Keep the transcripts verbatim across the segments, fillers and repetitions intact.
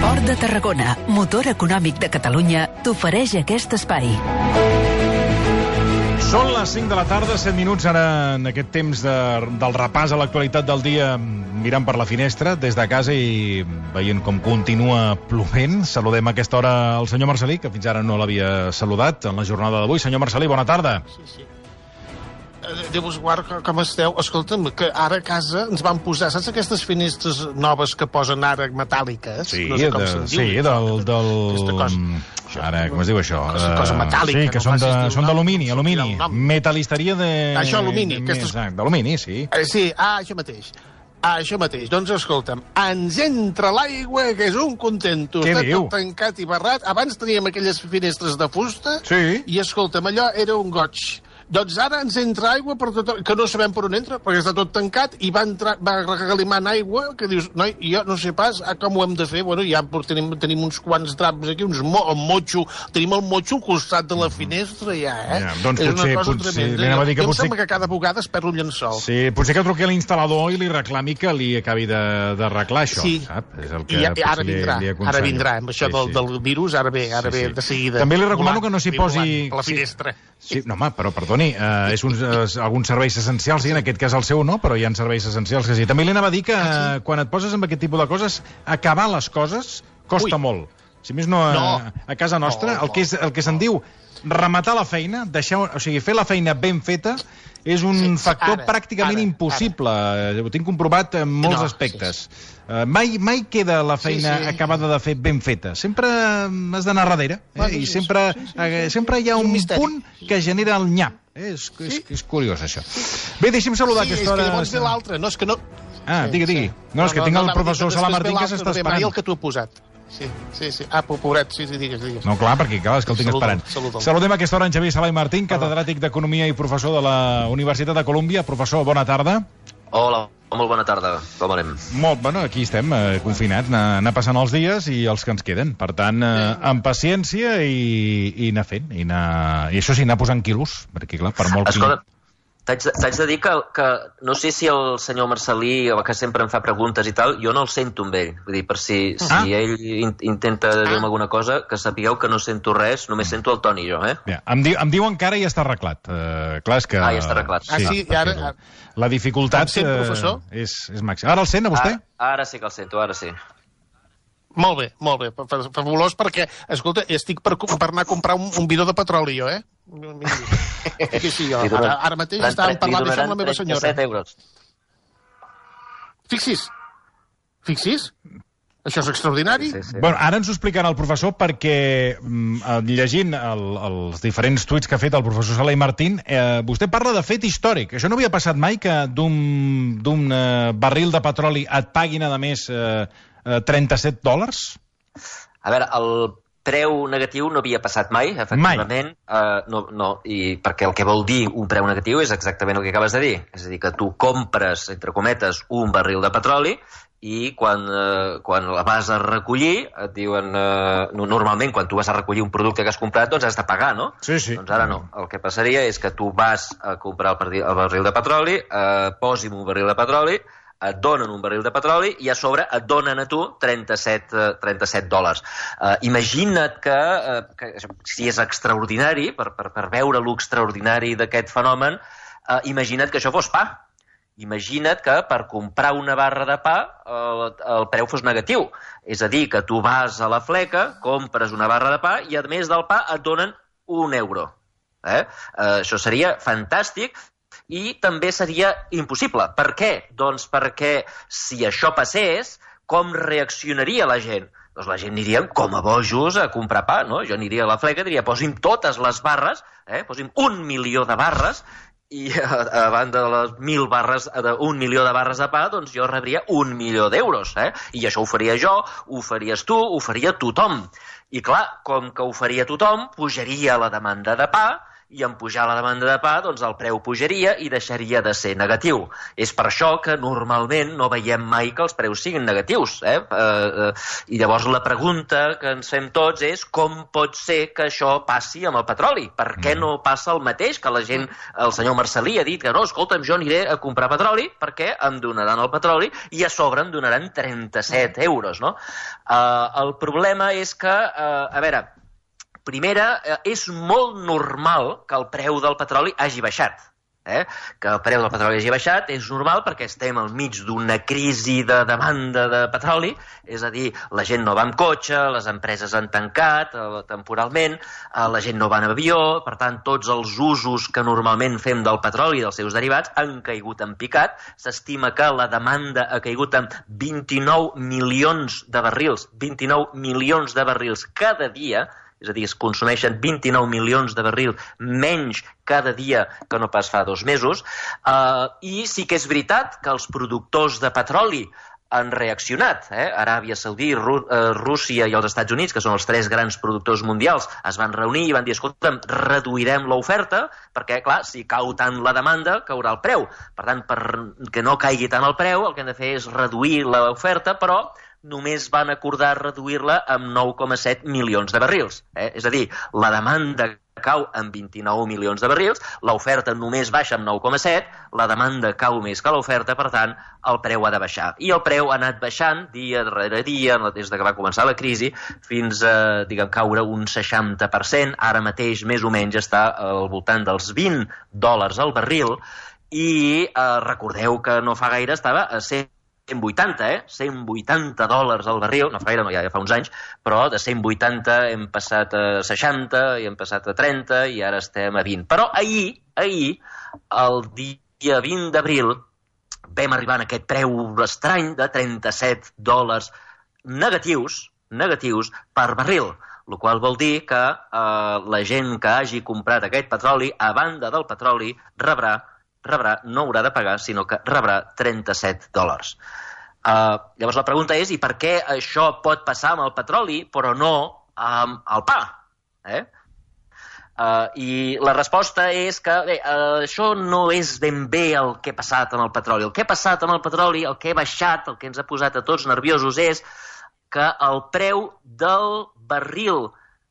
Port de Tarragona, motor econòmic de Catalunya, t'ofereix aquest espai. Són les cinc de la tarda, set minuts ara en aquest temps de, del repàs a l'actualitat del dia, mirant per la finestra des de casa i veient com continua plovent. Saludem a aquesta hora el senyor Marcelí, que fins ara no l'havia saludat en la jornada d'avui. Senyor Marcelí, bona tarda. Sí, sí. Déu-vos guard, com esteu? Escolta'm, que ara a casa ens van posar, saps aquestes finestres noves que posen ara metàl·liques? Sí, no sé com de, se'n diu. sí del... del... Aquesta cosa. Ara, com es diu això? Cosa, cosa metàl·lica. Sí, que no són de- facis són dir el d'alumini, nom, alumini. sortirà el nom. Metalisteria de... Això, alumini, de- aquestes- Exacte, d'alumini, sí. Eh, sí, ah, això mateix. Ah, això mateix. Doncs escolta'm, ens entra l'aigua, que és un contento. Què Està diu? tot tancat i barrat. Abans teníem aquelles finestres de fusta. Sí. I escolta'm, allò era un goig. Doncs ara ens entra aigua per tot, que no sabem per on entra, perquè està tot tancat, i va, entrar, va regalimant aigua, que dius, noi, jo no sé pas ah, com ho hem de fer. Bueno, ja tenim, tenim uns quants draps aquí, uns mo, el motxo, tenim el motxo al costat de la finestra, ja, eh? Ja, doncs és potser- una cosa potser- tremenda. anem a dir que Jo em potser- sembla que cada vegada es perd un llençol. Sí, potser que truqui a l'instal·lador i li reclami que li acabi de- d'arreglar això, Sí. sap? És el I ja, potser ara li- vindrà, li ara aconsello. vindrà, amb això Sí, del, sí. del virus, ara ve, ara Sí, ve sí. de seguida. També li recomano Volant, que no s'hi ve posi- volant per la sí. finestra. Sí, no, home, però perdoni, eh, és uns, eh, alguns serveis essencials, sí, en aquest cas el seu no, però hi ha serveis essencials que sí. També li anava a dir que Ah, eh, quan et poses amb aquest tipus de coses, acabar les coses costa Ui. molt. Si més no, a, No. a casa nostra, No, el que, és, el que se'n diu rematar la feina, deixar, o sigui, fer la feina ben feta, és un Sí, sí, factor ara, pràcticament ara, impossible. Eh, Ho tinc comprovat en molts No, aspectes. Eh, mai, mai queda la feina Sí, sí. acabada de fer ben feta. Sempre eh, has d'anar darrere. Eh? Bueno, I sí, sempre, sí, sí, sí, eh, sí. sempre hi ha És un un misteri. punt que genera el nyap. Eh? És, és, Sí. és curiós, això. Bé, deixi'm saludar Sí, a és aquesta que hora... llavors ve l'altre, no, és que no... Ah, Sí, digui, digui. sí. No, és que tinc el anava a dir professor que Sala després ve Martín que l'altre, s'està no ve mai esperant. el que tu he posat. Sí, sí, sí. Ah, pobret, sí, sí, digues, digues. No, clar, perquè clar, és que el tinc Saluda'l, esperant. saluda'l. Saludem a aquesta hora en Xavier Sala i Martín, catedràtic d'Economia i professor de la Universitat de Colúmbia. Professor, bona tarda. Hola, molt bona tarda. Com anem? Molt, bueno, aquí estem, eh, confinats, anar, anar passant els dies i els que ens queden. Per tant, eh, amb paciència i, i anar fent. I, anar, I això sí, anar posant quilos, perquè clar, per molt... Escolta, t'haig de, t'haig de dir que, que no sé si el senyor Marcelí, que sempre em fa preguntes i tal, jo no el sento amb ell. Vull dir, per si, si Ah. ell in, intenta dir-me alguna cosa, que sapigueu que no sento res, només sento el Toni i jo, eh? Ja, em, di, em diuen que ara ja està arreglat. Uh, clar, és que... Ah, ja està arreglat. Ah, sí, i ara- perquè La dificultat Em sent, professor? eh, és, és màxima. Ara el sent, a vostè? Ara, ara sí que el sento, ara sí. Molt bé, molt bé, fa- fa- fabulós, perquè, escolta, estic per, per anar a comprar un, un bidó de petroli, jo, eh? Que sí, jo. Li donen- Ara, ara mateix li estàvem parlant d'això amb la meva trenta-set senyora. euros. Fixis, fixis, això és extraordinari. Sí, sí. Bueno, ara ens ho explicarà el professor perquè, mm, eh, llegint el, els diferents tuits que ha fet el professor Sala i Martín, eh, vostè parla de fet històric. Això no havia passat mai, que d'un d'un eh, barril de petroli et paguin, a més, eh, eh, trenta-set dòlars? A veure, el preu negatiu no havia passat mai, efectivament. Uh, no, no, i perquè el que vol dir un preu negatiu és exactament el que acabes de dir. És a dir, que tu compres, entre cometes, un barril de petroli i quan, eh, quan la vas a recollir et diuen... Eh, normalment, quan tu vas a recollir un producte que has comprat, doncs has de pagar, no? Sí, sí. Doncs ara no. El que passaria és que tu vas a comprar el, barril, el barril de petroli, eh, posi'm un barril de petroli, et donen un barril de petroli i a sobre et donen a tu trenta-set, trenta-set dòlars. Uh, imagina't que, uh, que si és extraordinari, per, per, per veure l'extraordinari d'aquest fenomen, uh, imagina't que això fos pa. Imagina't que per comprar una barra de pa el, el preu fos negatiu. És a dir, que tu vas a la fleca, compres una barra de pa i a més del pa et donen un euro. Eh? Uh, això seria fantàstic. I també seria impossible. Per què? Doncs perquè si això passés, com reaccionaria la gent? Doncs la gent aniria com a bojos a comprar pa, no? Jo aniria a la fleca i diria, posi'm totes les barres, eh? Posi'm un milió de barres, i a, a banda de les mil barres, un milió de barres de pa, doncs jo rebria un milió d'euros, eh? I això ho faria jo, ho faries tu, ho faria tothom. I clar, com que ho faria tothom, pujaria la demanda de pa, i en pujar la demanda de pa, doncs el preu pujaria i deixaria de ser negatiu. És per això que normalment no veiem mai que els preus siguin negatius. Eh? Eh, I llavors la pregunta que ens fem tots és com pot ser que això passi amb el petroli? Per què no passa el mateix? Que la gent, el senyor Marcelí ha dit que no, escolta'm, jo aniré a comprar petroli perquè em donaran el petroli i a sobre em donaran trenta-set euros. No? Eh, el problema és que, eh, a veure, primera, és molt normal que el preu del petroli hagi baixat. Eh? Que el preu del petroli hagi baixat és normal perquè estem al mig d'una crisi de demanda de petroli, és a dir, la gent no va amb cotxe, les empreses han tancat eh, temporalment, eh, la gent no va en avió, per tant, tots els usos que normalment fem del petroli i dels seus derivats han caigut en picat. S'estima que la demanda ha caigut en vint-i-nou milions de barrils, vint-i-nou milions de barrils cada dia, és a dir, es consumeixen vint-i-nou milions de barrils menys cada dia que no pas fa dos mesos, uh, i sí que és veritat que els productors de petroli han reaccionat. Eh? Aràbia Saudí, Rú uh, Rússia i els Estats Units, que són els tres grans productors mundials, es van reunir i van dir, escolta'm, reduirem l'oferta, perquè, clar, si cau tant la demanda, caurà el preu. Per tant, perquè no caigui tant el preu, el que hem de fer és reduir l'oferta, però només van acordar reduir-la amb nou coma set milions de barrils. Eh? És a dir, la demanda cau en vint-i-nou milions de barrils, l'oferta només baixa amb nou coma set, la demanda cau més que l'oferta, per tant, el preu ha de baixar. I el preu ha anat baixant dia darrere dia, des que va començar la crisi, fins a, diguem, caure un seixanta per cent. Ara mateix, més o menys, està al voltant dels vint dòlars al barril, i eh, recordeu que no fa gaire estava a cent vuitanta, eh? cent vuitanta dòlars al barril, no fa gaire, no, ja, ja fa uns anys, però de cent vuitanta hem passat a seixanta, i hem passat a trenta, i ara estem a vint. Però ahir, ahir, el dia vint d'abril, vam arribar a aquest preu estrany de trenta-set dòlars negatius, negatius per barril, el qual vol dir que eh, la gent que hagi comprat aquest petroli, a banda del petroli, rebrà rebrà, no haurà de pagar, sinó que rebrà trenta-set dòlars. Uh, llavors la pregunta és, i per què això pot passar amb el petroli, però no amb el pa? Eh? Uh, I la resposta és que bé, uh, això no és ben bé el que ha passat amb el petroli. El que ha passat amb el petroli, el que ha baixat, el que ens ha posat a tots nerviosos és que el preu del barril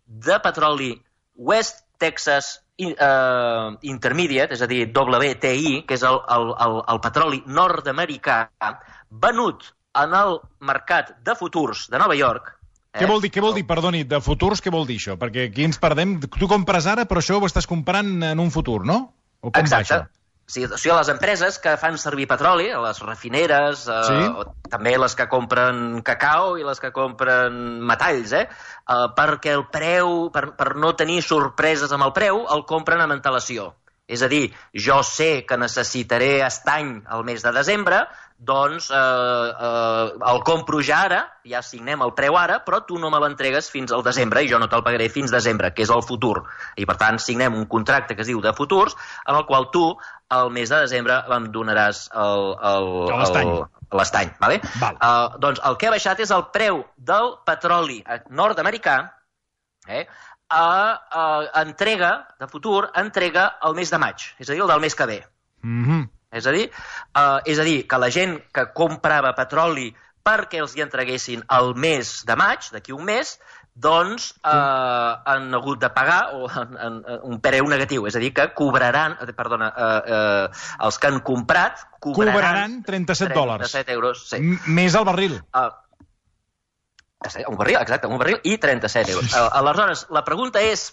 de petroli West Texas Uh, Intermediate, és a dir, W T I, que és el, el, el, el petroli nord-americà, venut en el mercat de futurs de Nova York. Eh? Què vol dir, què vol dir, perdoni, de futurs, què vol dir això? Perquè aquí ens perdem. Tu compres ara, però això ho estàs comprant en un futur, no? O com Exacte. Va això? Sí, o sigui, les empreses que fan servir petroli, les refineres, eh, sí? o també les que compren cacau i les que compren metalls, eh, eh, perquè el preu, per, per no tenir sorpreses amb el preu, el compren amb antelació. És a dir, jo sé que necessitaré estany al mes de desembre, doncs eh, eh, el compro ja ara, ja signem el preu ara, però tu no me l'entregues fins al desembre i jo no te'l pagaré fins desembre, que és el futur. I per tant signem un contracte que es diu de futurs, en el qual tu al mes de desembre em donaràs l'estany. Vale? Val. Uh, doncs el que ha baixat és el preu del petroli nord-americà, eh, a, a entrega de futur, entrega el mes de maig, és a dir, el del mes que ve. Mm-hmm. És a dir, uh, és a dir, que la gent que comprava petroli perquè els hi entreguessin el mes de maig, d'aquí un mes, doncs eh, han hagut de pagar o, en, en, un preu negatiu, és a dir, que cobraran, perdona, eh, eh, els que han comprat cobraran, cobraran trenta-set dòlars. trenta-set euros, sí. Més al barril. Uh, un barril, exacte, un barril i trenta-set euros. Uh, aleshores, la pregunta és,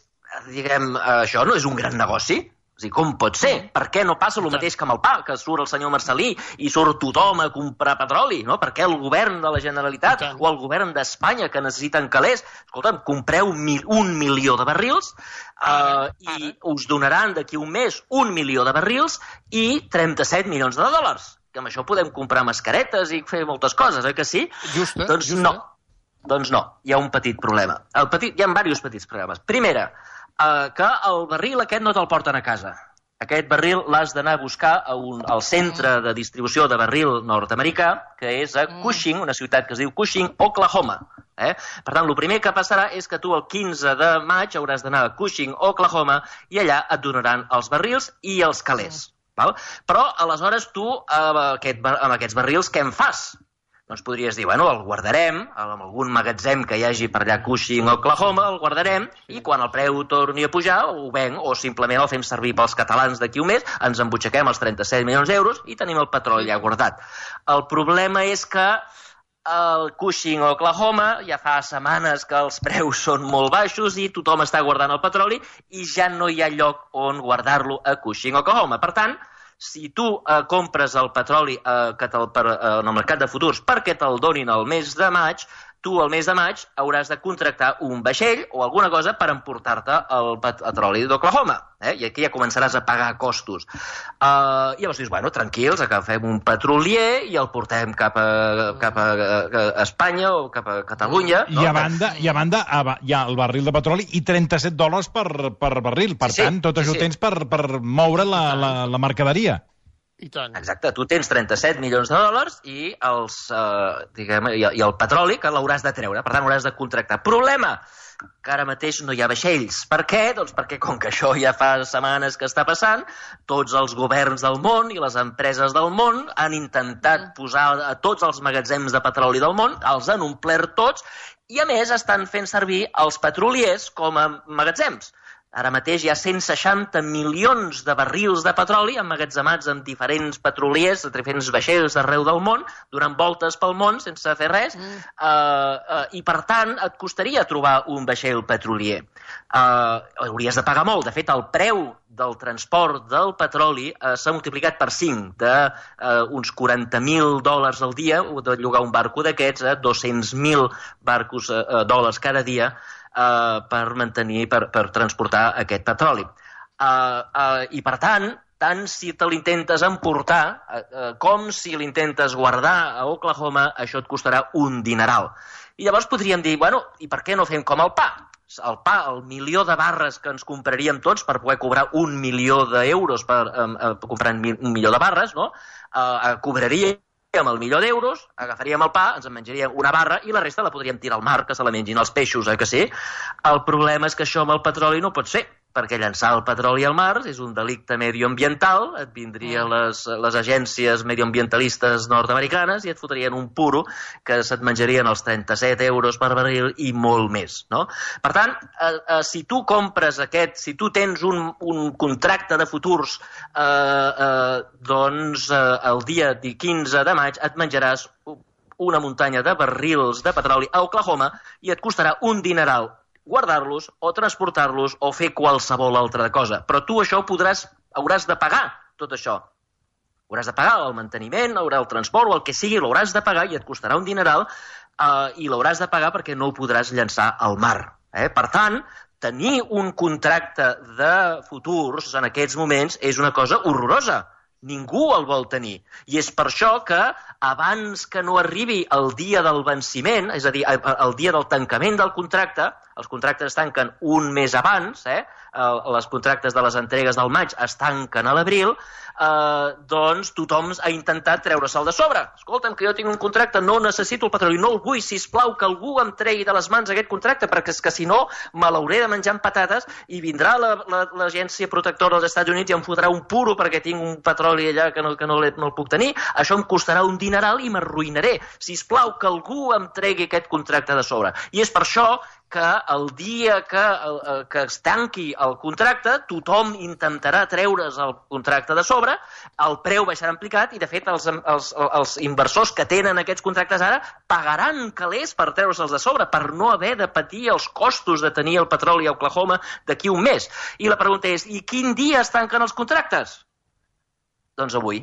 diguem, això no és un gran negoci? És a dir, com pot ser? Per què no passa el mateix que amb el pa, que surt el senyor Marcelí i surt tothom a comprar petroli, no? Per què el govern de la Generalitat o el govern d'Espanya, que necessiten calés, escolta'm, compreu mil, un milió de barrils uh, i us donaran d'aquí un mes un milió de barrils i trenta-set milions de dòlars. Que amb això podem comprar mascaretes i fer moltes coses, eh que sí? Justa, doncs justa. no. Doncs no, hi ha un petit problema. El petit, hi ha diversos petits problemes. Primera, eh, que el barril aquest no te'l porten a casa. Aquest barril l'has d'anar a buscar a un, al centre de distribució de barril nord-americà, que és a Cushing, una ciutat que es diu Cushing, Oklahoma. Eh? Per tant, el primer que passarà és que tu el quinze de maig hauràs d'anar a Cushing, Oklahoma, i allà et donaran els barrils i els calés. Val? Però, aleshores, tu, amb, aquest, amb aquests barrils, què en fas? Doncs podries dir, bueno, el guardarem, en algun magatzem que hi hagi per allà a Cushing, Oklahoma, el guardarem, i quan el preu torni a pujar, ho venc, o simplement el fem servir pels catalans d'aquí un mes, ens embutxaquem els trenta-set milions d'euros i tenim el petroli allà guardat. El problema és que al Cushing, Oklahoma, ja fa setmanes que els preus són molt baixos i tothom està guardant el petroli i ja no hi ha lloc on guardar-lo a Cushing, Oklahoma. Per tant, si tu eh, compres el petroli eh, que te'l, per, eh, en el mercat de futurs perquè te'l donin el mes de maig, tu al mes de maig hauràs de contractar un vaixell o alguna cosa per emportar-te el petroli d'Oklahoma. Eh? I aquí ja començaràs a pagar costos. Uh, I llavors dius, bueno, tranquils, agafem un petrolier i el portem cap a, cap a, a Espanya o cap a Catalunya. I a banda, i a banda hi ha el barril de petroli i trenta-set dòlars per, per barril. Per sí, tant, tot sí, això sí. tens per, per moure la, la, la mercaderia. I tant. Exacte, tu tens trenta-set milions de dòlars i, els, eh, diguem, i, i el petroli que l'hauràs de treure, per tant hauràs de contractar. Problema, que ara mateix no hi ha vaixells. Per què? Doncs perquè com que això ja fa setmanes que està passant, tots els governs del món i les empreses del món han intentat posar a tots els magatzems de petroli del món, els han omplert tots i a més estan fent servir els petroliers com a magatzems. Ara mateix hi ha cent seixanta milions de barrils de petroli emmagatzemats en diferents petroliers, en diferents vaixells d'arreu del món, donant voltes pel món sense fer res, mm. uh, uh, i per tant et costaria trobar un vaixell petrolier. Uh, hauries de pagar molt. De fet, el preu del transport del petroli uh, s'ha multiplicat per cinc, d'uns uh, quaranta mil dòlars al dia, de llogar un barco d'aquests, a uh, dos-cents mil barcos uh, dòlars cada dia, Uh, per mantenir, per, per transportar aquest petroli. Uh, uh, I per tant, tant si te l'intentes emportar uh, uh, com si l'intentes guardar a Oklahoma, això et costarà un dineral. I llavors podríem dir, bueno, i per què no fem com el pa? El pa, el milió de barres que ens compraríem tots per poder cobrar un milió d'euros per um, uh, comprar un milió de barres, no? Uh, uh, cobraria amb el milió d'euros, agafaríem el pa, ens en menjaríem una barra i la resta la podríem tirar al mar, que se la mengin els peixos, eh, que sí? El problema és que això amb el petroli no pot ser, perquè llançar el petroli al mar és un delicte medioambiental, et vindrien les, les agències medioambientalistes nord-americanes i et fotrien un puro que se't menjarien els trenta-set euros per barril i molt més, no? Per tant, eh, eh, si tu compres aquest, si tu tens un, un contracte de futurs, eh, eh, doncs eh, el dia quinze de maig et menjaràs una muntanya de barrils de petroli a Oklahoma i et costarà un dineral guardar-los o transportar-los o fer qualsevol altra cosa. Però tu això ho podràs, hauràs de pagar, tot això. Hauràs de pagar el manteniment, haurà el transport o el que sigui, l'hauràs de pagar i et costarà un dineral eh, i l'hauràs de pagar perquè no ho podràs llançar al mar. Eh? Per tant, tenir un contracte de futurs en aquests moments és una cosa horrorosa. Ningú el vol tenir. I és per això que abans que no arribi el dia del venciment, és a dir, el dia del tancament del contracte, els contractes es tanquen un mes abans, eh? Les contractes de les entregues del maig es tanquen a l'abril, eh, doncs tothom ha intentat treure-se'l de sobre. Escolta'm, que jo tinc un contracte, no necessito el petroli, no el vull, sisplau, que algú em tregui de les mans aquest contracte, perquè és que si no me l'hauré de menjar amb patates i vindrà l'agència protectora dels Estats Units i em fotrà un puro perquè tinc un petroli allà que no, que no, no el puc tenir, això em costarà un dineral i m'arruïnaré. Sisplau, que algú em tregui aquest contracte de sobre. I és per això que el dia que, que es tanqui el contracte, tothom intentarà treure's el contracte de sobre, el preu baixarà en picat i, de fet, els, els, els inversors que tenen aquests contractes ara pagaran calés per treure'ls de sobre, per no haver de patir els costos de tenir el petroli a Oklahoma d'aquí un mes. I la pregunta és, i quin dia es tanquen els contractes? Doncs avui.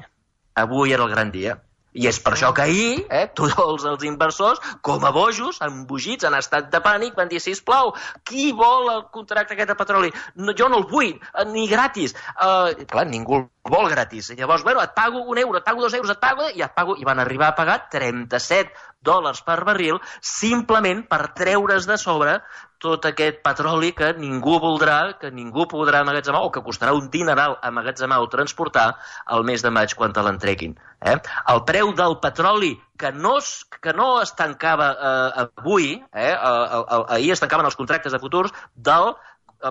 Avui era el gran dia. I és per això que ahir, eh, tots els inversors, com a bojos, embogits, en estat de pànic, van dir, sisplau, qui vol el contracte aquest de petroli? No, jo no el vull, ni gratis. Uh, clar, ningú el vol gratis. I llavors, bueno, et pago un euro, et pago dos euros, et pago... I, et pago, i van arribar a pagar trenta-set dòlars per barril simplement per treure's de sobre tot aquest petroli que ningú voldrà, que ningú podrà emmagatzemar o que costarà un dineral emmagatzemar o transportar al mes de maig quan te l'entreguin. Eh? El preu del petroli que no es, que no es tancava eh, avui, eh, el, el, ahir es tancaven els contractes de futurs del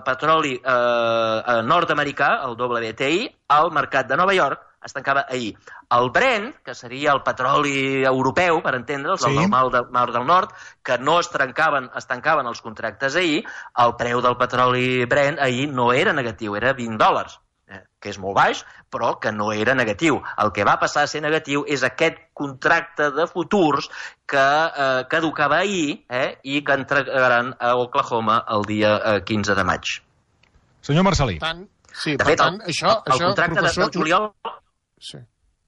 petroli eh, nord-americà, el W T I, al mercat de Nova York, es tancava ahir. El Brent, que seria el petroli europeu, per entendre'ls, sí. el del Mar, del Mar del Nord, que no es tancaven, es tancaven els contractes ahir, el preu del petroli Brent ahir no era negatiu, era vint dòlars, eh, que és molt baix, però que no era negatiu. El que va passar a ser negatiu és aquest contracte de futurs que eh, caducava ahir eh, i que entregaran a Oklahoma el dia eh, quinze de maig. Senyor Marcelí. Tant, sí, de per fet, tant, el, això, el, el això, contracte professor... de juliol... Sí.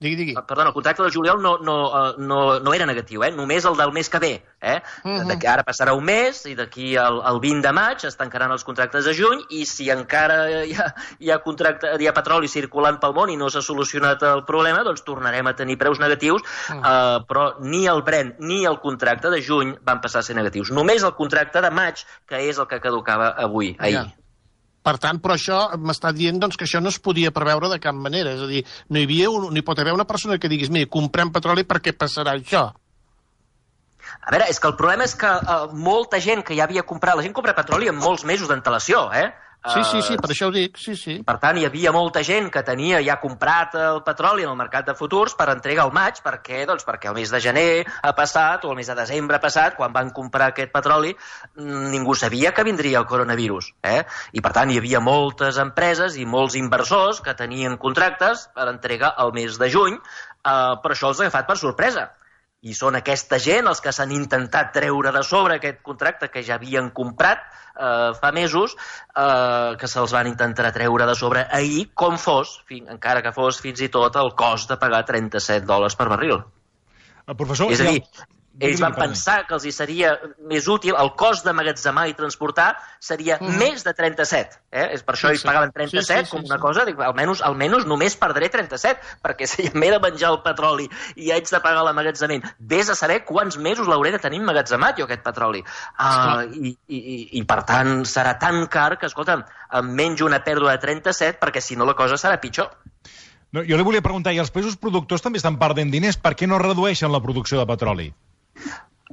Digui, digui. Perdona, el contracte del juliol no, no, no, no era negatiu, eh? Només el del mes que ve. Eh? Uh -huh. Ara passarà un mes i d'aquí al, al vint de maig es tancaran els contractes de juny i si encara hi ha, hi ha, contracte, hi ha petroli circulant pel món i no s'ha solucionat el problema, doncs tornarem a tenir preus negatius, uh -huh. eh, però ni el Brent ni el contracte de juny van passar a ser negatius. Només el contracte de maig, que és el que caducava avui, ahir. Ja. Per tant, però això m'està dient doncs, que això no es podia preveure de cap manera. És a dir, no hi havia un, no hi pot haver una persona que diguis, mira, comprem petroli perquè passarà això. A veure, és que el problema és que uh, molta gent que ja havia comprat... La gent compra petroli amb molts mesos d'antelació, eh? Sí, sí, sí, per això ho dic, sí, sí. Per tant, hi havia molta gent que tenia ja comprat el petroli en el mercat de futurs per entrega al maig, perquè, doncs, perquè el mes de gener ha passat o el mes de desembre ha passat, quan van comprar aquest petroli, ningú sabia que vindria el coronavirus. Eh? I, per tant, hi havia moltes empreses i molts inversors que tenien contractes per entrega al mes de juny, eh, però això els ha agafat per sorpresa. I són aquesta gent els que s'han intentat treure de sobre aquest contracte que ja havien comprat eh, fa mesos, eh, que se'ls van intentar treure de sobre ahir, com fos, fin, encara que fos fins i tot el cost de pagar trenta-set dòlars per barril. El professor... És a dir, ells van pensar que els hi seria més útil, el cost d'emmagatzemar i transportar seria mm. més de trenta-set. Eh? És per això sí, ells pagaven trenta-set sí, sí, com sí, una sí. cosa, dic, almenys, almenys només perdré trenta-set, perquè si m'he de menjar el petroli i haig de pagar l'emmagatzament, vés a saber quants mesos l'hauré de tenir emmagatzemat jo aquest petroli. Uh, i, i, I per tant serà tan car que, escolta'm, em menjo una pèrdua de trenta-set perquè si no la cosa serà pitjor. No, jo li volia preguntar, i els països productors també estan perdent diners, per què no redueixen la producció de petroli?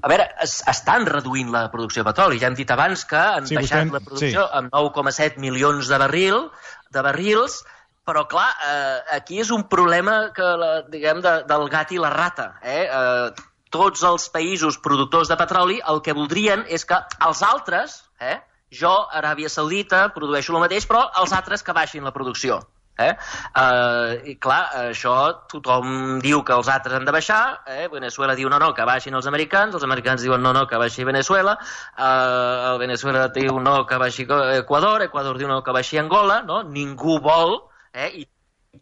A veure, es, estan reduint la producció de petroli. Ja hem dit abans que han sí, baixat vostè... la producció sí. amb nou coma set milions de, barril, de barrils, però, clar, eh, aquí és un problema que, la, diguem, de, del gat i la rata. Eh? Eh, tots els països productors de petroli el que voldrien és que els altres, eh, jo, Aràbia Saudita, produeixo el mateix, però els altres que baixin la producció. Eh? Uh, i clar, això tothom diu que els altres han de baixar, eh? Venezuela diu no, no, que baixin els americans, els americans diuen no, no, que baixi Venezuela, uh, el Venezuela diu no, que baixi Equador, Equador diu no, que baixi Angola, no? Ningú vol, eh? I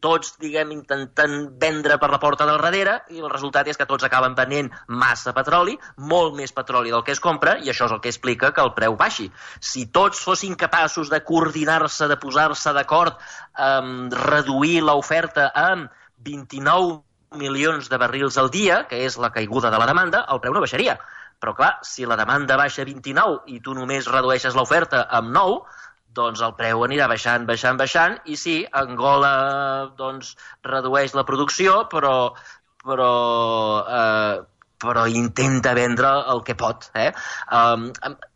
tots, diguem, intentant vendre per la porta del darrere i el resultat és que tots acaben venent massa petroli, molt més petroli del que es compra, i això és el que explica que el preu baixi. Si tots fossin capaços de coordinar-se, de posar-se d'acord, um, reduir l'oferta amb vint-i-nou milions de barrils al dia, que és la caiguda de la demanda, el preu no baixaria. Però clar, si la demanda baixa a vint-i-nou i tu només redueixes l'oferta amb nou, doncs el preu anirà baixant, baixant, baixant, i sí, Angola doncs, redueix la producció, però, però, eh, però intenta vendre el que pot. Eh? Um,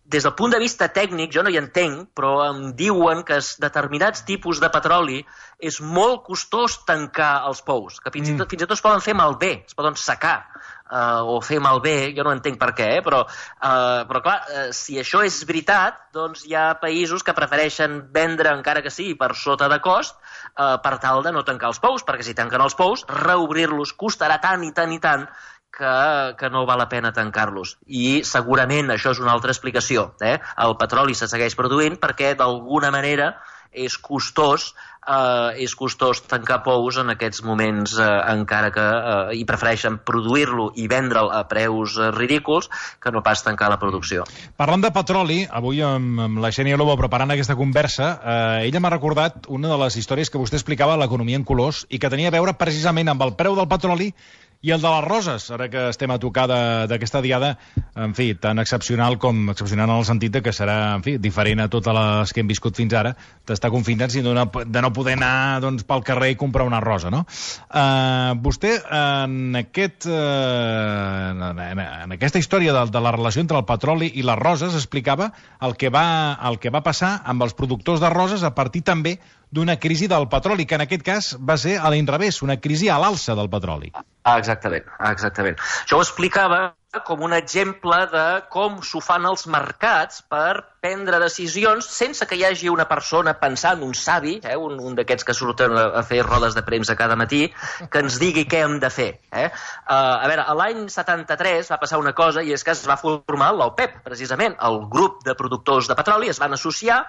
des del punt de vista tècnic, jo no hi entenc, però em diuen que determinats tipus de petroli és molt costós tancar els pous, que fins, mm. i, tot, fins i tot es poden fer malbé, es poden secar. Uh, o fer malbé, jo no entenc per què, eh? però, uh, però clar, uh, si això és veritat, doncs hi ha països que prefereixen vendre, encara que sigui per sota de cost, uh, per tal de no tancar els pous, perquè si tanquen els pous, reobrir-los costarà tant i tant i tant que, que no val la pena tancar-los. I segurament això és una altra explicació. Eh? El petroli se segueix produint perquè d'alguna manera és costós Uh, és costós tancar pous en aquests moments, uh, encara que uh, hi prefereixen produir-lo i vendre'l a preus uh, ridículs que no pas tancar la producció. Parlant de petroli, avui amb, amb la Xènia Lobo preparant aquesta conversa, eh, ella m'ha recordat una de les històries que vostè explicava a l'Economia en Colors i que tenia a veure precisament amb el preu del petroli i el de les roses, ara que estem a tocar d'aquesta diada, en fi, tan excepcional com excepcional en el sentit de que serà, en fi, diferent a totes les que hem viscut fins ara, d'estar confinats i de no, de no poder anar doncs, pel carrer i comprar una rosa, no? Uh, vostè, en, aquest, uh, en, en aquesta història de, de la relació entre el petroli i les roses, explicava el que va, el que va passar amb els productors de roses a partir també d'una crisi del petroli, que en aquest cas va ser a l'inrevés, una crisi a l'alça del petroli. Ah, exactament, exactament. Jo ho explicava com un exemple de com s'ho fan els mercats per prendre decisions sense que hi hagi una persona pensant, un savi, eh, un, un d'aquests que surten a fer rodes de premsa cada matí, que ens digui què hem de fer. Eh? Uh, a veure, l'any setanta-tres va passar una cosa i és que es va formar l'OPEP, precisament. El grup de productors de petroli es van associar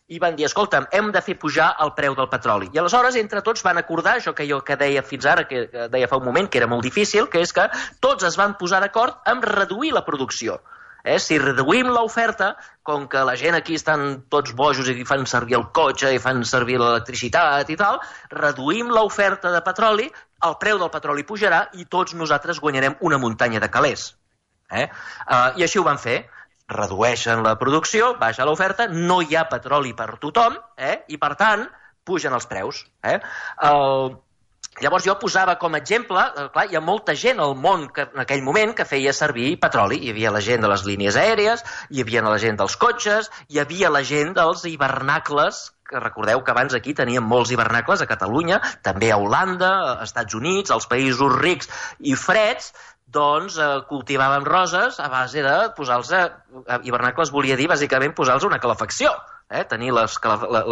i van dir, escolta'm, hem de fer pujar el preu del petroli. I aleshores, entre tots, van acordar, això que jo que deia fins ara, que deia fa un moment, que era molt difícil, que és que tots es van posar d'acord en reduir la producció. Eh? Si reduïm l'oferta, com que la gent aquí estan tots bojos i fan servir el cotxe i fan servir l'electricitat i tal, reduïm l'oferta de petroli, el preu del petroli pujarà i tots nosaltres guanyarem una muntanya de calés. Eh? Uh, I així ho van fer. Redueixen la producció, baixa l'oferta, no hi ha petroli per tothom, eh? I per tant, pugen els preus. Eh? Uh, llavors jo posava com a exemple, uh, clar, hi ha molta gent al món que, en aquell moment que feia servir petroli. Hi havia la gent de les línies aèries, hi havia la gent dels cotxes, hi havia la gent dels hivernacles, que recordeu que abans aquí teníem molts hivernacles a Catalunya, també a Holanda, als Estats Units, als països rics i freds, doncs eh, cultivàvem roses a base de posar-los a... Hivernacles volia dir, bàsicament, posar-los una calefacció. Eh? Tenir les,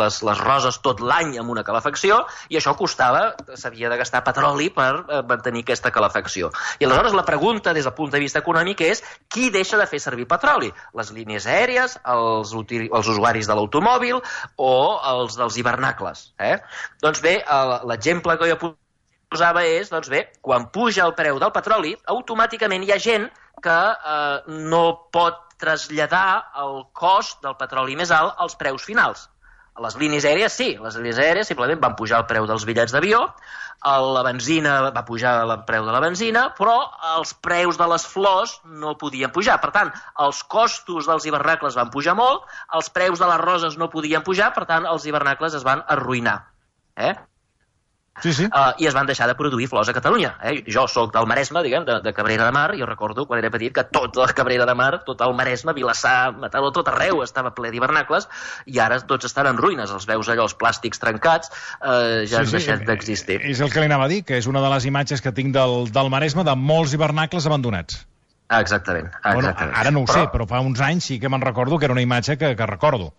les, les roses tot l'any amb una calefacció i això costava, s'havia de gastar petroli per eh, mantenir aquesta calefacció. I aleshores la pregunta des del punt de vista econòmic és qui deixa de fer servir petroli? Les línies aèries, els, els usuaris de l'automòbil o els dels hivernacles? Eh? Doncs bé, l'exemple que jo posava és, doncs bé, quan puja el preu del petroli, automàticament hi ha gent que eh, no pot traslladar el cost del petroli més alt als preus finals. A les línies aèries sí, les línies aèries simplement van pujar el preu dels bitllets d'avió, la benzina va pujar el preu de la benzina, però els preus de les flors no podien pujar. Per tant, els costos dels hivernacles van pujar molt, els preus de les roses no podien pujar, per tant, els hivernacles es van arruïnar. Eh? Sí, sí. Uh, I es van deixar de produir flors a Catalunya. Eh? Jo sóc del Maresme, diguem, de, de Cabrera de Mar, i jo recordo quan era petit que tot la Cabrera de Mar, tot el Maresme, Vilassar, Mataró, tot arreu estava ple d'hivernacles, i ara tots estan en ruïnes. Els veus allò, els plàstics trencats, uh, ja sí, han sí, deixat d'existir. És el que li anava a dir, que és una de les imatges que tinc del, del Maresme de molts hivernacles abandonats. Ah, exactament. exactament. Bueno, ara no ho però... sé, però fa uns anys sí que me'n recordo que era una imatge que, que recordo.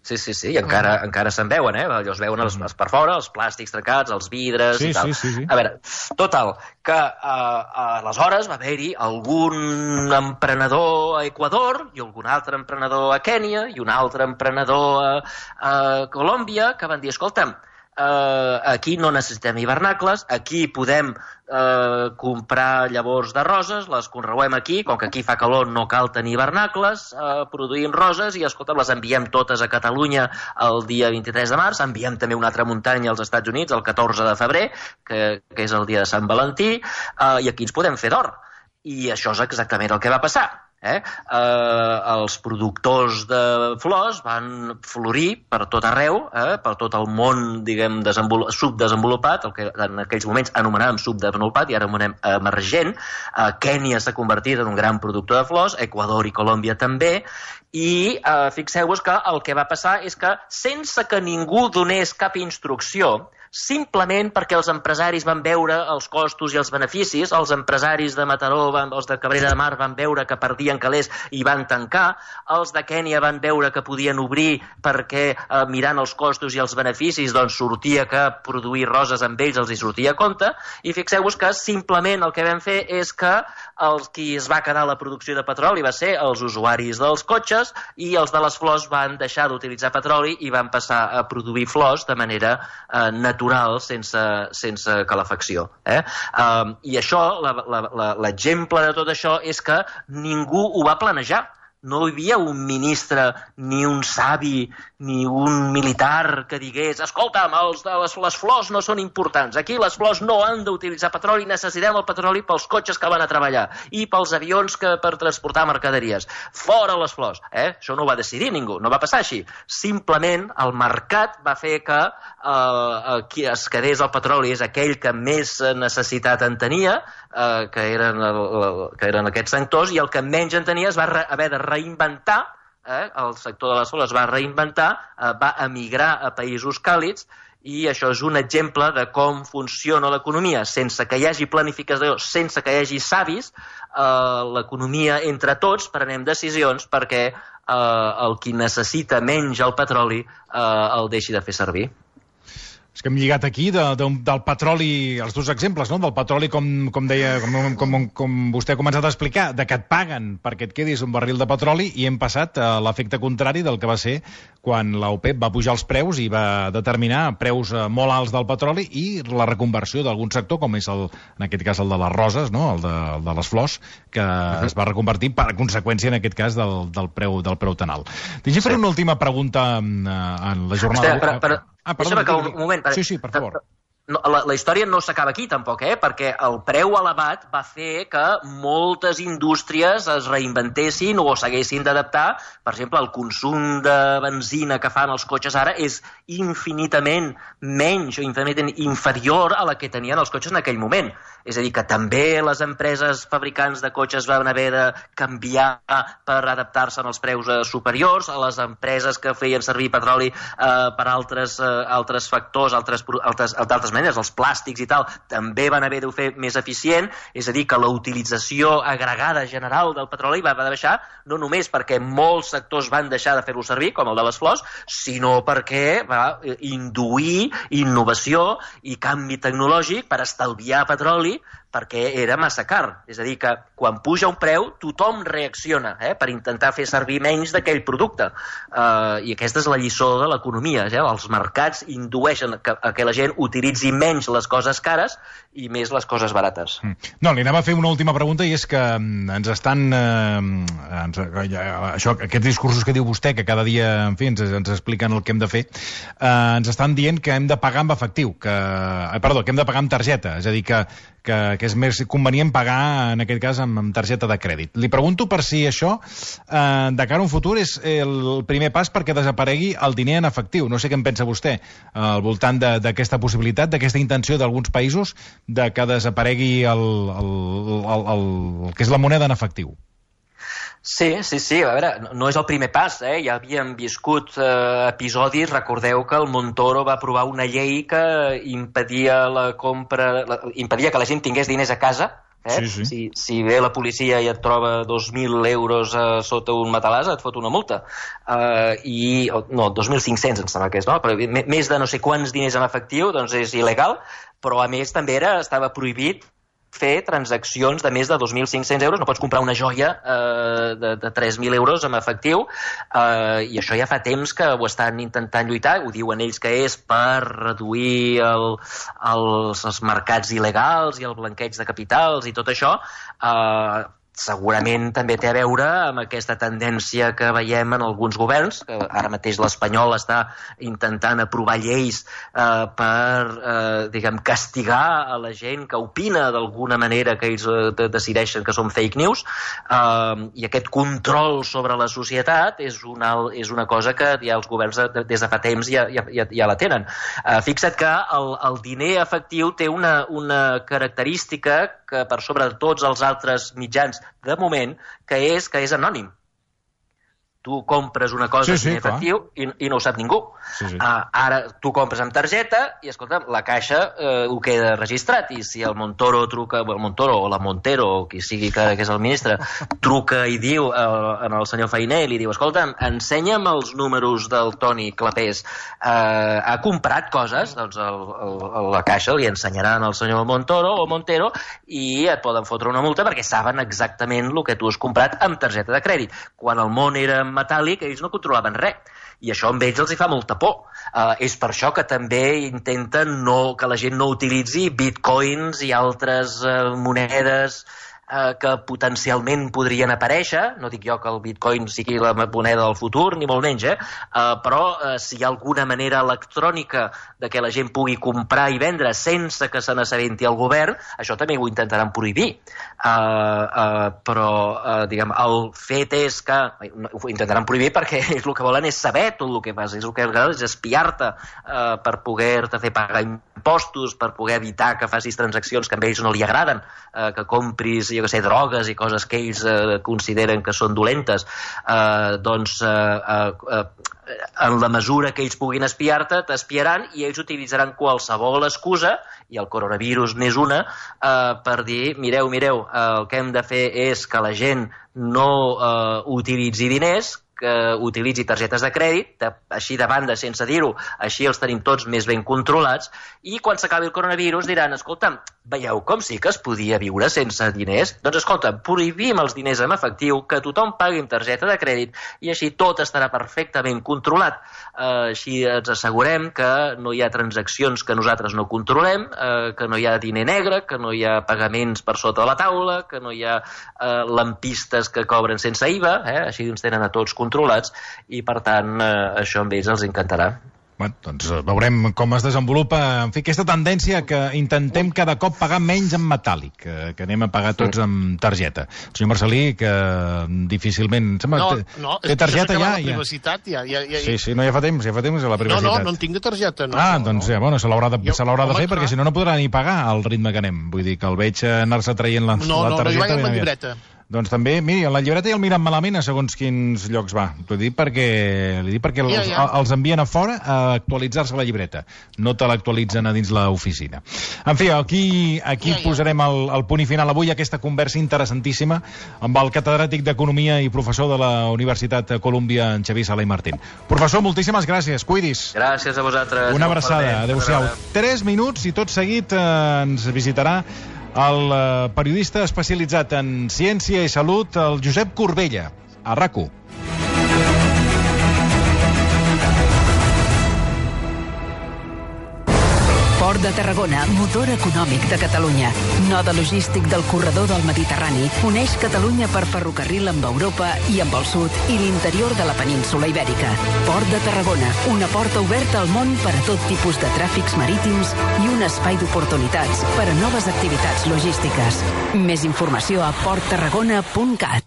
Sí, sí, sí, i encara, uh-huh. encara se'n veuen, eh? Allò es veuen els, els per fora, els plàstics trencats, els vidres sí, i tal. Sí, sí, sí. A veure, total, que uh, aleshores va haver-hi algun emprenedor a Equador i algun altre emprenedor a Kènia i un altre emprenedor a, a Colòmbia que van dir, escolta'm, Uh, aquí no necessitem hivernacles, aquí podem uh, comprar llavors de roses, les conreuem aquí, com que aquí fa calor no cal tenir hivernacles, uh, produïm roses i escolta, les enviem totes a Catalunya el dia vint-i-tres de març, enviem també una altra muntanya als Estats Units el catorze de febrer, que, que és el dia de Sant Valentí, uh, i aquí ens podem fer d'or. I això és exactament el que va passar. Eh? Eh, els productors de flors van florir per tot arreu, eh? per tot el món, diguem, subdesenvolupat, el que en aquells moments anomenàvem subdesenvolupat i ara anomenem emergent. Eh, Kènia s'ha convertit en un gran productor de flors, Equador i Colòmbia també, i eh, fixeu-vos que el que va passar és que sense que ningú donés cap instrucció, simplement perquè els empresaris van veure els costos i els beneficis, els empresaris de Mataró, van, els de Cabrera de Mar van veure que perdien calés i van tancar, els de Kènia van veure que podien obrir perquè eh, mirant els costos i els beneficis doncs sortia que produir roses amb ells els hi sortia a compte, i fixeu-vos que simplement el que vam fer és que els qui es va quedar la producció de petroli va ser els usuaris dels cotxes i els de les flors van deixar d'utilitzar petroli i van passar a produir flors de manera eh, natural, sense, sense calefacció. Eh? Um, I això, l'exemple de tot això és que ningú ho va planejar. No hi havia un ministre, ni un savi, ni un militar que digués escolta'm, els de les, les flors no són importants, aquí les flors no han d'utilitzar petroli, necessitem el petroli pels cotxes que van a treballar i pels avions que per transportar mercaderies. Fora les flors. Eh? Això no ho va decidir ningú, no va passar així. Simplement el mercat va fer que eh, qui es quedés el petroli és aquell que més necessitat en tenia, eh, que, eren el, que eren aquests sectors, i el que menys en tenia es va re, haver de reinventar, eh, el sector de les flors es va reinventar, eh, va emigrar a països càlids, i això és un exemple de com funciona l'economia. Sense que hi hagi planificació, sense que hi hagi savis, eh, l'economia entre tots prenem decisions perquè eh, el qui necessita menys el petroli eh, el deixi de fer servir. És que hem lligat aquí de, de, del petroli, els dos exemples, no? Del petroli, com, com deia, com, com, com vostè ha començat a explicar, de que et paguen perquè et quedis un barril de petroli, i hem passat a l'efecte contrari del que va ser quan l'OPEP va pujar els preus i va determinar preus molt alts del petroli i la reconversió d'algun sector, com és el, en aquest cas el de les roses, no? el, de, el de les flors, que uh-huh. es va reconvertir per conseqüència, en aquest cas, del, del, preu, del preu tan alt. Deixi fer sí. una última pregunta en, en la jornada... Hòstia, per, per... Ah, perdó, un, un moment. Sí, sí, per favor. No, la, la història no s'acaba aquí, tampoc, eh? Perquè el preu elevat va fer que moltes indústries es reinventessin o s'haguessin d'adaptar. Per exemple, el consum de benzina que fan els cotxes ara és infinitament menys o infinitament inferior a la que tenien els cotxes en aquell moment. És a dir, que també les empreses fabricants de cotxes van haver de canviar per adaptar-se als preus eh, superiors, a les empreses que feien servir petroli eh, per altres, eh, altres factors, altres, altres, altres maneres, els plàstics i tal, també van haver de fer més eficient, és a dir, que la utilització agregada general del petroli va baixar, no només perquè molts sectors van deixar de fer-lo servir, com el de les flors, sinó perquè va induir innovació i canvi tecnològic per estalviar petroli, perquè era massa car. És a dir, que quan puja un preu, tothom reacciona eh, per intentar fer servir menys d'aquell producte. Uh, I aquesta és la lliçó de l'economia. Eh? Els mercats indueixen que, a que la gent utilitzi menys les coses cares i més les coses barates. No, li anava a fer una última pregunta, i és que ens estan... Eh, ens, això, aquests discursos que diu vostè, que cada dia, en fi, ens, ens expliquen el que hem de fer, eh, ens estan dient que hem de pagar amb efectiu, que, eh, perdó, que hem de pagar amb targeta, és a dir, que que, que és més convenient pagar, en aquest cas, amb, amb targeta de crèdit. Li pregunto per si això, eh, de cara a un futur, és el primer pas perquè desaparegui el diner en efectiu. No sé què en pensa vostè eh, al voltant d'aquesta possibilitat, d'aquesta intenció d'alguns països de que desaparegui el, el, el, el, el, el que és la moneda en efectiu. Sí, sí, sí, a veure, no és el primer pas, eh? Ja havíem viscut eh, episodis, recordeu que el Montoro va aprovar una llei que impedia la compra, la, impedia que la gent tingués diners a casa, eh? Sí, sí. Si, si ve la policia i et troba dos mil euros eh, sota un matalàs, et fot una multa. Uh, i, no, dos mil cinc-cents em sembla que és, no? Però més de no sé quants diners en efectiu, doncs és il·legal, però a més també era, estava prohibit fer transaccions de més de dos mil cinc-cents euros. No pots comprar una joia eh, de, de tres mil euros en efectiu, eh, i això ja fa temps que ho estan intentant lluitar. Ho diuen ells que és per reduir el, els, els mercats il·legals i el blanqueig de capitals i tot això. Eh, segurament també té a veure amb aquesta tendència que veiem en alguns governs, que ara mateix l'espanyol està intentant aprovar lleis eh, per, eh, diguem, castigar a la gent que opina d'alguna manera que ells eh, decideixen que són fake news, eh, i aquest control sobre la societat és una, és una cosa que ja els governs des de fa temps ja, ja, ja la tenen. Eh, fixa't que el, el diner efectiu té una, una característica que per sobre de tots els altres mitjans de moment, que és que és anònim. tu compres una cosa sí, sí, en efectiu i, i no ho sap ningú. Sí, sí. Uh, ara tu compres amb targeta i, escolta'm, la caixa uh, ho queda registrat, i si el Montoro truca, el Montoro o la Montero, o qui sigui que, que és el ministre, truca i diu uh, en el senyor Fainé i li diu, escolta'm, ensenya'm els números del Toni Clapés, uh, ha comprat coses, doncs el, el, la caixa li ensenyaran al senyor Montoro o Montero i et poden fotre una multa perquè saben exactament el que tu has comprat amb targeta de crèdit. Quan el món era metàl·lic, ells no controlaven res. I això amb ells els hi fa molta por. Uh, és per això que també intenten no, que la gent no utilitzi bitcoins i altres uh, monedes uh, que potencialment podrien aparèixer. No dic jo que el bitcoin sigui la moneda del futur, ni molt menys, eh? Uh, però uh, si hi ha alguna manera electrònica de que la gent pugui comprar i vendre sense que se n'assabenti el govern, això també ho intentaran prohibir. Uh, uh, però, uh, diguem, el fet és que ho intentaran prohibir perquè ells el que volen és saber tot el que fas, és el que és espiar-te uh, per poder-te fer pagar impostos, per poder evitar que facis transaccions que a ells no li agraden, uh, que compris, jo que sé, drogues i coses que ells uh, consideren que són dolentes. Uh, doncs uh, uh, uh, en la mesura que ells puguin espiar-te, t'espiaran i ells utilitzaran qualsevol excusa, i el coronavirus n'és una, eh, per dir, mireu, mireu, eh, el que hem de fer és que la gent no eh, utilitzi diners, que utilitzi targetes de crèdit, de, així de banda, sense dir-ho, així els tenim tots més ben controlats, i quan s'acabi el coronavirus diran, escolta'm, veieu com sí que es podia viure sense diners? Doncs escolta, prohibim els diners en efectiu, que tothom pagui amb targeta de crèdit, i així tot estarà perfectament controlat. Uh, així ens assegurem que no hi ha transaccions que nosaltres no controlem, uh, que no hi ha diner negre, que no hi ha pagaments per sota de la taula, que no hi ha uh, lampistes que cobren sense I V A, eh? Així ens tenen a tots controlats, i per tant eh, això amb ells els encantarà. Bueno, doncs veurem com es desenvolupa, en fi, aquesta tendència que intentem cada cop pagar menys en metàl·lic, que, que anem a pagar tots amb targeta. El senyor Marcelí, que difícilment... Sembla, no, té, no, té targeta ja? La privacitat ja, ja, ja... Sí, sí, no, ja fa temps, ja fa temps la privacitat. No, no, no en tinc de targeta. No, ah, no, doncs no. ja, bueno, se l'haurà de, jo, se l'haurà de fer, clar. perquè si no, no podrà ni pagar al ritme que anem. Vull dir que el veig anar-se traient la, no, la targeta... No, no, no hi va ben amb la aviat. llibreta. Doncs també, miri, en la llibreta ja el miren malament a segons quins llocs va. T'ho dic perquè, li dic perquè els, ja, ja. els envien a fora a actualitzar-se la llibreta. No te l'actualitzen a dins l'oficina. En fi, aquí, aquí ja, ja. posarem el, el punt i final avui a aquesta conversa interessantíssima amb el catedràtic d'Economia i professor de la Universitat Colúmbia, en Xavier Sala i Martín. Professor, moltíssimes gràcies. Cuidis. Gràcies a vosaltres. Una abraçada. Adéu-siau. Tres minuts i tot seguit eh, ens visitarà el periodista especialitzat en ciència i salut, el Josep Corbella, a RAC u. Port de Tarragona, motor econòmic de Catalunya. Node logístic del corredor del Mediterrani, uneix Catalunya per ferrocarril amb Europa i amb el sud i l'interior de la península Ibèrica. Port de Tarragona, una porta oberta al món per a tot tipus de tràfics marítims i un espai d'oportunitats per a noves activitats logístiques. Més informació a port tarragona punt cat.